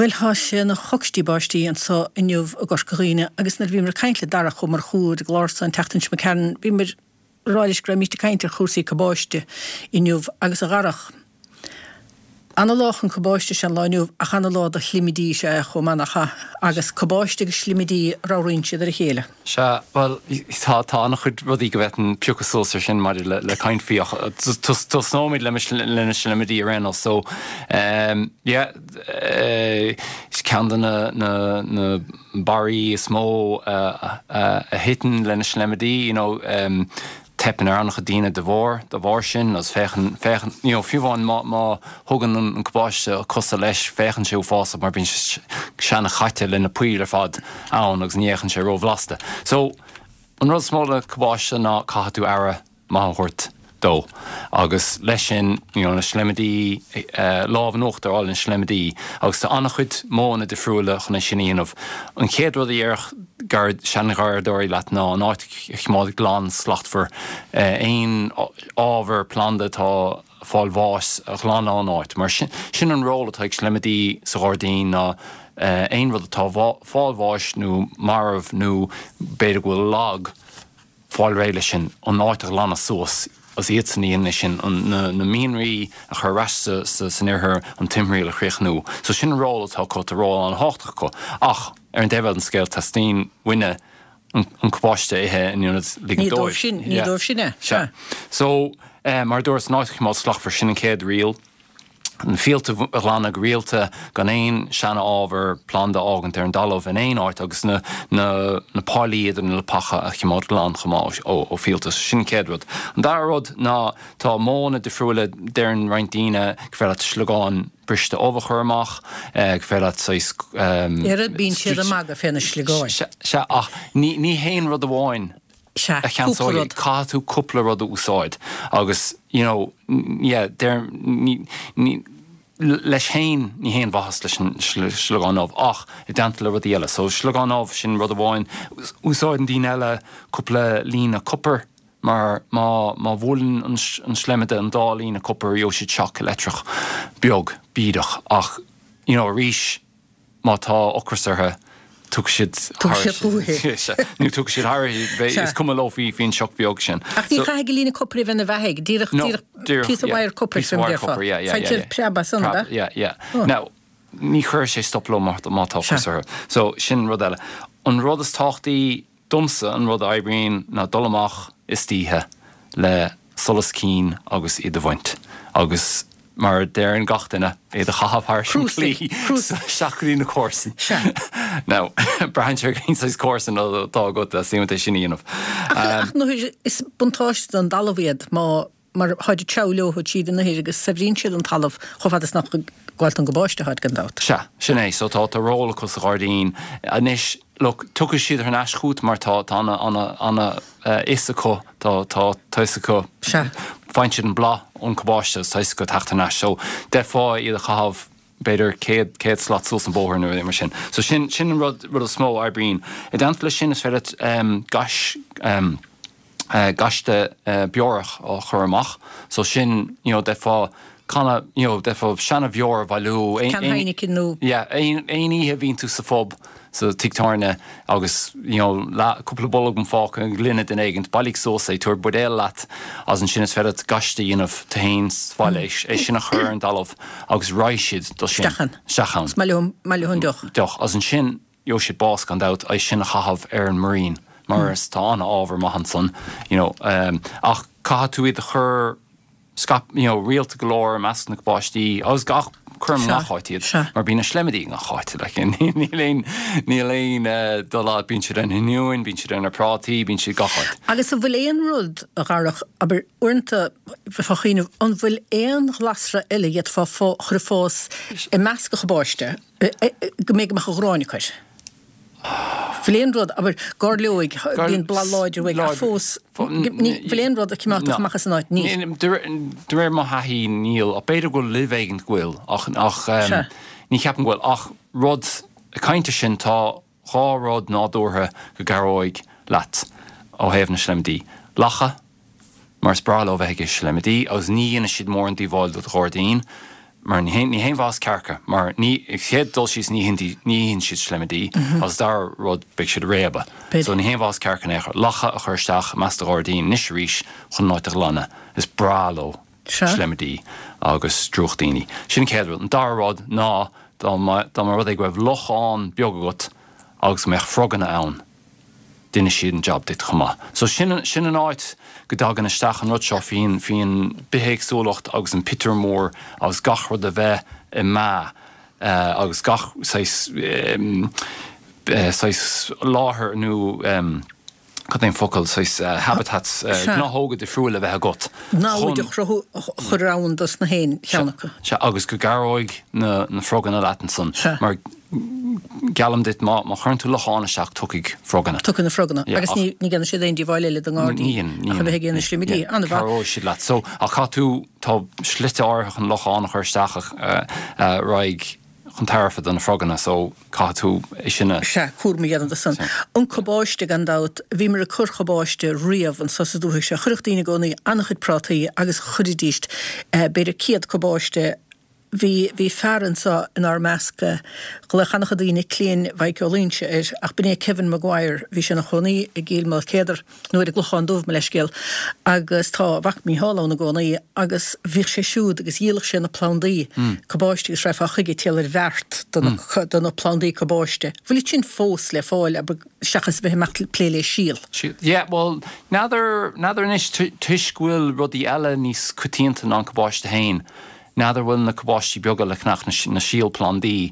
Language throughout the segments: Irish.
Bhuel, tá sé ina choicstí báistí anso inniu i gCorca Dhuibhne agus nuair a bhíomar ag caint le Darach Ó Murchú ar an gclár so an tseachtain seo imigh tharainn, bhíomar ag rá leis go raibh míst ag caint ar chúrsaí cabáiste inniu agus a Dharach, ana-lá chun cabáiste is ea an lá inniu ach ana-lá do shlimidí is ea é chomh maith nach ea? Agus cabáiste agus slimidí, ramhraíonn siad ar a chéile. Sea, bhuel, tá, tá an-chuid rudaí go bhféadfainn piocadh suas ar sin maidir le, le caint faoi ach tosnóimid le, le na slimidí ar aon nós. So, yeah, is ceann de na, na, na barraí is mó a, a, a thiteann le na slimidí, you know, Teipeann ar an-chuid daoine de bharr, dá bharr sin, agus féachann, féachann, you know, fiú amháin má, má thugann an cabáiste cosa leis, féachann sé uafásach mar bíonn sé seana-chaite le na poill ar fad ann agus ní fhéachann sé ró-bhlasta. So, an rud is mó le cabáiste ná caithfidh tú aire maith a thabhairt dó agus leis sin, you know, na slimidí, lámh in uachtar a fháil ar na slimidí agus tá an-chuid modhanna difriúla chun é sin a dhéanamh. An chéad rud a dhéarfadh sean-gharraíodóirí leat ná an áit a choimeád glan slachtmhar, aon ábhar planda atá ag fáil bháis a ghlanadh ón áit, mar sin an ról atá ag slimidí sa ghairdín ná aon rud atá ag fáil bháis nó marbh nó b'fhéidir go bhfuil lag, fáil réidh leis sin, an áit a ghlanadh suas, is iadsan a dhéanann é sin, na mianraí a chur ar ais san ithir, an timthriall a chríochnú. So sin an ról atá acu, tá ról an-thábhachtach acu. Ach ar an dtaobh eile den scéal, teastaíonn uainne an cabáiste a ithe in ionad ligean dóibh. Ní dóibh sin, ní dóibh sin é. Sea. So, mar a dúras, an áit a choimeád slachtmhar, sin an chéad riail. Na fíolta a ghlanadh go rialta, gan aon seana-ábhar planda a fhágaint ar an dtalamh in aon áit agus na na páilí idir na leapacha a choimeád glan chomh maith ó fhíolta. So sin an chéad rud. An dara rud ná tá modhanna difriúla, deireann roinnt daoine gur féidir leat sliogán briste ubh a chur amach, gur féidir leat saghas. Oiread bíonn siad ag magadh fé na sliogáin. Sea, ach ní haon rud amháin. Sea, a cúpla cheansóidh, rud. caithfidh tú cúpla rud a úsáid agus you know yeah deir ní ní leis féin ní haon mhaitheas leis an sliogán ubh ach i dteannta le rudaí eile. So sliogán ubh sin rud amháin. Úsáideann daoine eile cúpla líne copair mar má má bhuaileann an an sleimide an dá líne copair gheobhaidh siad shock leictreach beag bídeach ach you know arís Má tá ocras orthu, tiocfaidh siad Tiocfaidh siad chugaibh. Nó tiocfaidh siad thairis, is cuma leo faoin sioc beag sin. Ach ní chaithfidh líne copair a bheith ina bheathaigh, díreach, díreach píosa wire copair, Píosa wire copair, yeah, yeah, yeah. Faightear preab as san, ab ea? Yeah, yeah. Now, ní chuirfidh sé stop leo má tá ocras orthu. So, sin rud eile. An rud is tábhachtaí Domsa, an rud a oibríonn ná dul amach istoíche le solas cinn agus iad a bhaint. Agus mar a deireann gach duine, iad a chaitheamh thairis an claí isteach go dtí na comharsain. Now, braitheann sé ar cén saghas comharsan atá agat le suim é sin a dhéanamh. Ach is buntáiste don dtalamh iad má mar tháid ag treabhadh leo tríd an ithir agus saibhríonn siad an talamh chomh fada is nach ag gabháilt don gcabáiste atáid gan dabht. Sea, sin é. So tá, tá ról acu sa ghairdín. Anois, look, tiocfaidh siad thar n-ais chugat mar tá, tá ana, ana, ana fhios acu, tá, tá, tá fhios acu, Sea. faigheann siad an blas ón cabáiste agus tá fhios acu teacht thar n-ais. So, d'fhéadfá iad a chaitheamh b'fhéidir 100, 100 slat suas an bóthar nó rud mar sin. So sin, sin an rud, rud is mó a oibríonn. I dteannta leis sin, is féidir leat gais, gaiste beorach á chur amach so sin you know d'fhéadfá canna you know d'fhéadfá seana bheoir a bhailiú Can Heineken nó. yeah aon aon oíche a bhíonn tú sa phub sa tigh tábhairne agus you know leath cúpla bolgam fágtha i ngloine duine éigint bailigh suas é tabhair buidéal leat agus ansin is féidir leat gaiste a dhéanamh tú féin sa bhaile é sin a chur ar an dtalamh agus raghaidh siad dó sin Isteach ann. isteach ann. Is maith leo maith leo an deoch. deoch agus ansin Gheobhaidh siad bás gan dabht, é sin a chaitheamh ar an muirín mar is tá an-ábhar maith ansan you know ach caithfidh tú iad a chur scaip you know rialta go leor i measc na gcabáistí agus gach cuirim i ngach áit iad mar bíonn na sleimidí i ngach áit like níl aon níl aon dul as bíonn siad ar na hoinniúin bíonn siad ar na prátaí bíonn siad gach áit. Agus an bhfuil aon rud a Dharach, abair uaireanta bheifeá ag cuimhneamh an bhfuil aon ghlasra eile a d'fhéadfá chur ag fás i measc an chabáiste go mbeidh go mbeadh an ghráin acu air. Bhfuil aon rud, abair, gairleoig, bíonn boladh láidir uaidh, ach fós, bhfuil aon rud a choimeádfadh amach as an áit? Níl. De réir mo thaithí, níl. Ach b'fhéidir go bhfuil luibh éigin go bhfuil, ach ní cheapaim go bhfuil. Ach rud, ag caint ar sin, tá 2 rud nádúrtha go gcabhróidh leat ó thaobh na sleimidí, lacha, mar is breá leo bheith ag ithe sleimidí agus ní dhéanfaidh siad mórán díobháil do do ghairdín. Mar ní haon mhaitheas cearca, mar ní, chéad dul síos ní itheann siad sleimidí agus dara rud beidh siad ag réabadh. So ní haon mhaitheas cearca in aon chor. Lacha a chur isteach i measc do ghairdín anois arís chun an áit a ghlanadh. Is breá leo sleimidí agus drúchtíní. Sin an chéad rud. An dara rud ná dá mba rud é go raibh lochán beag agat agus go mbeadh froganna ann, déanfaidh siad an jab duit chomh maith. So sin, sin an áit go dtagann isteach an rud seo faoin, faoin bithéagsúlacht agus an pictiúr mór agus gach rud a bheith i meá agus gach saghas, saghas láthair nó cad é an focal, saghas habitats, gnáthóga difriúil a bheith agat Namhaid a chruthú, a chur ann dos na haon cheann acu. Sea, agus go gcabhróidh na, na froganna leat ansan mar Geallaim duit, má chuireann tú lochán isteach, tiocfaidh froganna. Tiocfaidh na froganna. Agus ní dhéanfaidh siad aon díobháil eile don ngairdín ach a bheith ag ithe na slimidí. An-mhaith. Cabhróidh siad leat. So, ach caithfidh tú, tá slite áirithe chun lochán a chur isteach a raghaidh chun tairbhe do na froganna, so caithfidh tú é sin a. Sea, cúram a dhéanamh de san. An cabáiste, gan dabht. Bhíomar ag cur cabáiste riamh anso sa dúthaigh seo. Chuirfeadh daoine i gcónaí an-chuid prátaí agus chuiridíst b'fhéidir 100 cabáiste Bhí, bhí fear anso inár measc, ghlaodh an-chuid daoine Cliain Mhaidhc Ó Loingsigh air, ach b'in é Kevin Maguire, bhí sé ina chónaí i gCill Maoilchéadair, nó ar an gClochán Dubh, mo leithscéal, agus tá a mhac Mícheál ann i gcónaí, agus bhíodh sé siúd agus dhíoladh sé na plandaí cabáiste agus raghfá chuige ag triall ar bheart do na, do na plandaí cabáiste. Bhfuil iad sin fós le fáil, abair, seachas a bheith ag imeacht plé le síol? Yeah, bhuel, n'fheadar, n'fheadar anois, toisc go bhfuil rudaí eile níos coitianta ná an cabáiste féin, N'fheadar bhfuil na cabáistí beaga le ceannach, na síolphlandaí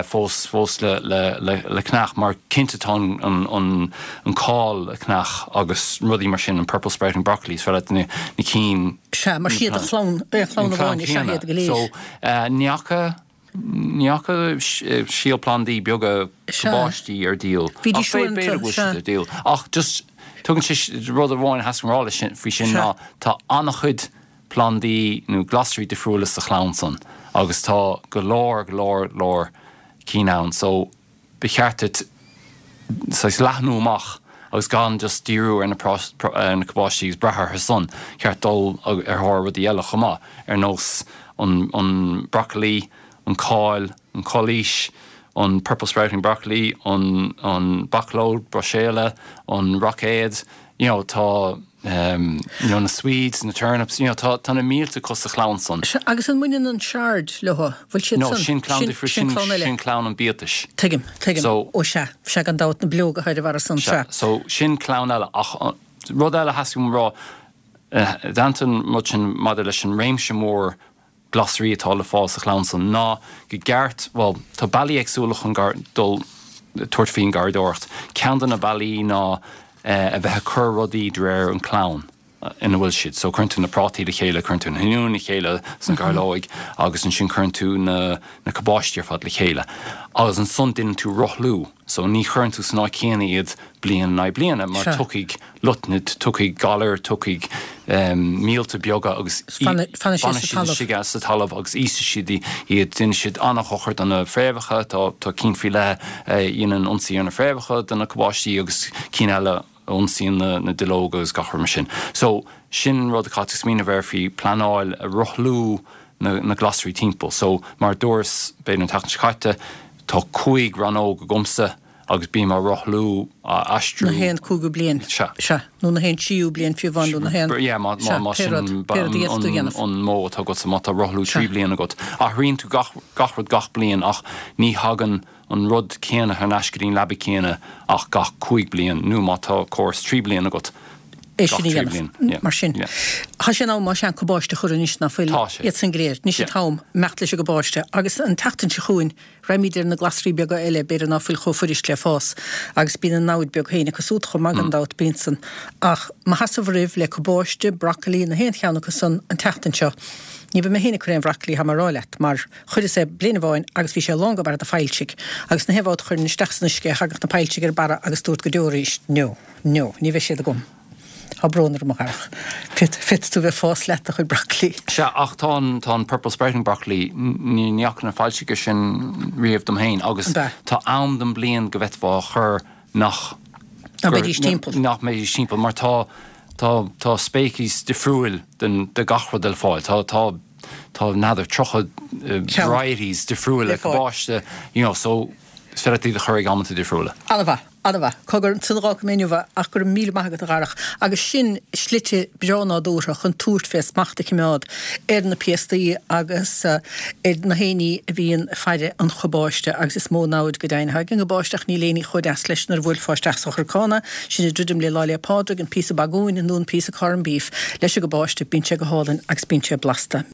fós fós le ceannach mar cinnte tá an cál le ceannach agus rudaí mar sin, an purple sprouting broccoli, is féidir leat na cinn. Sea, mar siad an chlann, aon chlann amháin is ea iad go léir. So, ní fhaca, ní fhaca síolphlandaí beaga cabáistí ar díol. Bhídís uaireanta, b'fhéidir go bhfuil siad ar díol. Ach just, tugann sé, rud amháin a theastaigh uaim a rá leis sin, faoi sin ná tá an-chuid plandaí nó glasraí difriúla sa chlann san agus tá go leor, go leor, leor cinn ann so ba cheart duit saghas leathnú amach agus gan just díriú ar na ar na cabáistí agus brath orthu san, cheart dul ar thóir rudaí eile chomh maith ar nós an an broccoli, an cál, an culaois, an purple sprouting broccoli, an an bacalóg Bruiséile, an roicéad, you know tá you know na swedes, na turnips, you know tá tá na mílte acu sa chlann san. Sea, agus an mbaineann an chard leo? Bhfuil siad No, san? sin clann Sin, difriúil, sin sin clann eile. sin clann an biatais. Tuigim, tuigim. So. Ó sea, sea gan dabht, na bileoga atá ar a bharra san, Sea, sea. so sin clann eile ach rud eile a theastaigh uaim a rá, i dteannta an rud sin maidir leis an réimse mór glasraí atá le fáil sa chlann san ná go gceart, bhuel, tá bealaí éagsúla chun dul, tabhairt faoin garraíodóireacht. Ceann de na bealaí ná a bheith ag cur rudaí de réir an clann ina bhfuil siad. So cuireann tú na prátaí le chéile, cuireann tú na hoinniúin le chéile sna gairleoig agus ansin cuireann tú na na cabáistí ar fad le chéile. Agus ansan déanann tú rothlú. So ní chuireann tú san áit chéanna iad bliain in aghaidh bliana mar tiocfaidh lotnaid, tiocfaidh galar, tiocfaidh míolta beaga agus fanfaidh siad istigh sa talamh agus íosfaidh siad iad. Déanfaidh siad an-dhochar do na fréamhacha, tá cinn faoi leith a dhéanann ionsaí ar na fréamhacha de na cabáistí agus cinn eile a ionsaíonn na duilleoga agus gach rud mar sin. So, sin rud a chaithfidh tú smaoineamh air faoi pleanáil a rothlú na glasraí timpeall. So, mar a dúras, b'fhéidir an tseachtain seo caite, tá 5 rannóg agamsa agus bím á rothlú, á aistriú. Na haon cúigiú bliain. Sea. Sea. Nó na haon tríú bliain fiú amháin nó na haon. Yeah, má, má, má sin pé rud a d'fhéadfadh tú a dhéanamh. an modh atá agatsa, má tá rothlú trí bliana agat. Athraíonn tú gach, gach rud gach bliain ach ní thagann an rud céanna thar n-ais go dtí an leaba céanna ach gach 5 bliain nó má tá córas 3 bliana agat, é sin a dhéanamh. Mar sin, tá sé in am más ea an cabáiste a chur anois ná fuil? Tá sé. Iad san go léir. Anois an t-am imeacht leis an gcabáiste. Agus an tseachtain seo chugainn, raghaimid ar na glasraí beaga eile, b'fhéidir ná fuil chomh fuirist le fás. Agus bíonn a namhaid beag féin acu súd chomh maith gan dabht, bíonn san. Ach má sheasamh oraibh le cabáiste, broccoli, na haon cheann acu san an tseachtain seo, ní bheidh mé féin ag cur aon bhroccoli, tá mé a rá leat, mar chuireas é bliain amháin agus bhí sé lán go barra de phoillsigh. Agus na haon bhabhta a chuirinn isteach san uisce é, thagadh na poillsigh ar barra agus dúrt go deo arís, No. No, ní bheidh siad agam. Tá brón orm, a Dharach. Féadfaidh tú bheith ag fás leat do chuid broccoli. Sea, ach tá an, tá an purple sprouting broccoli, ní, ní fhaca na foilsigh sin riamh dom féin agus An ea? tá am den bliain go bhféadfá a chur nach, Nach mbeidís timpeall. nach mbeidís timpeall mar tá, tá, tá speiceas difriúil den, de gach rud le fáil. Tá, tá. tá n'fheadar 30 varieties difriúla cabáiste, you know, so is féidir leat iad a chur ag amanta difriúla. An-mhaith. An-mhaith. Cogar, ansan a dh'fhágfaidh mé inniu é, ach go raibh míle maith agat, a Dharach. Agus sin slite breá nádúrtha chun tabhairt fé smacht a chimeád ar na piastaí agus ar na héinní a bhíonn ag faire an chabáiste, agus is mó namhaid go deimhin atá ag an gcabáiste, ach níl éinní chomh deas leis nuair a bhuailfeá isteach sa chorcán é, sin ag druidim le Lá 'le Pádraig, an píosa bagúin nó an píosa corn beef leis an gcabáiste, bíonn sé go hálainn agus bíonn sé blasta.